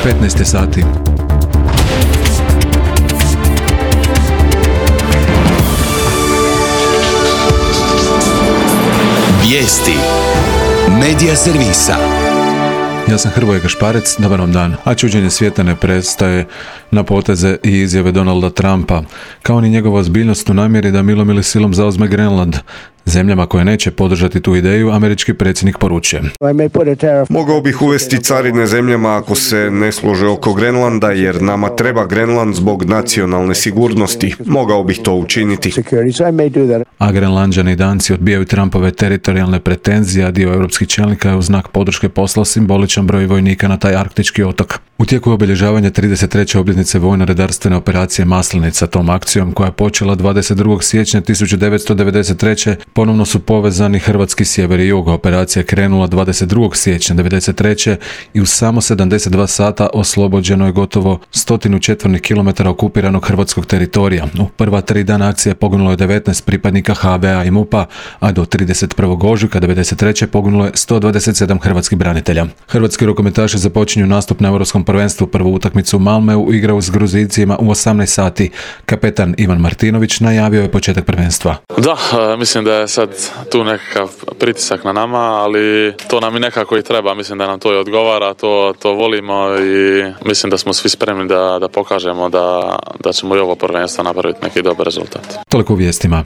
15 sati. Vijesti Medija servisa. Ja sam Hrvoje Gašparec, dobar vam dan. A čuđenje svijeta ne prestaje na poteze i izjave Donalda Trumpa, kao ni njegova ozbiljnost u namjeri da milom ili silom zauzme Grenland. Zemljama koje neće podržati tu ideju, američki predsjednik poručuje: Mogao bih uvesti carine zemljama ako se ne slože oko Grenlanda, jer nama treba Grenland zbog nacionalne sigurnosti. Mogao bih to učiniti. A Grenlanđani i Danci odbijaju Trumpove teritorijalne pretenzije, a dio europskih čelnika je u znak podrške poslao simboličan broj vojnika na taj arktički otok. U tijeku obilježavanja 33. obljetnice vojno-redarstvene operacije Maslenica, tom akcijom koja je počela 22. siječnja 1993. ponovno su povezani hrvatski sjever i jug. Operacija je krenula 22. siječnja 1993. i u samo 72 sata oslobođeno je gotovo 100 četvornih kilometara okupiranog hrvatskog teritorija. U prva 3 dana akcije poginulo je 19 pripadnika HV-a i MUP-a, a do 31. ožujka 1993. poginulo je 127 hrvatskih branitelja. Hrvatski rukometaši započinju nastup na Europskom prvenstvu. Prvu utakmicu u Malmeu igraju s Gruzijcima u 18 sati. Kapetan Ivan Martinović najavio je početak prvenstva. Da, mislim da je sad tu nekakav pritisak na nama, ali to nam i nekako i treba. Mislim da nam to i odgovara, to volimo i mislim da smo svi spremni da pokažemo da ćemo i ovo prvenstvo napraviti neki dobar rezultat. Toliko u vijestima.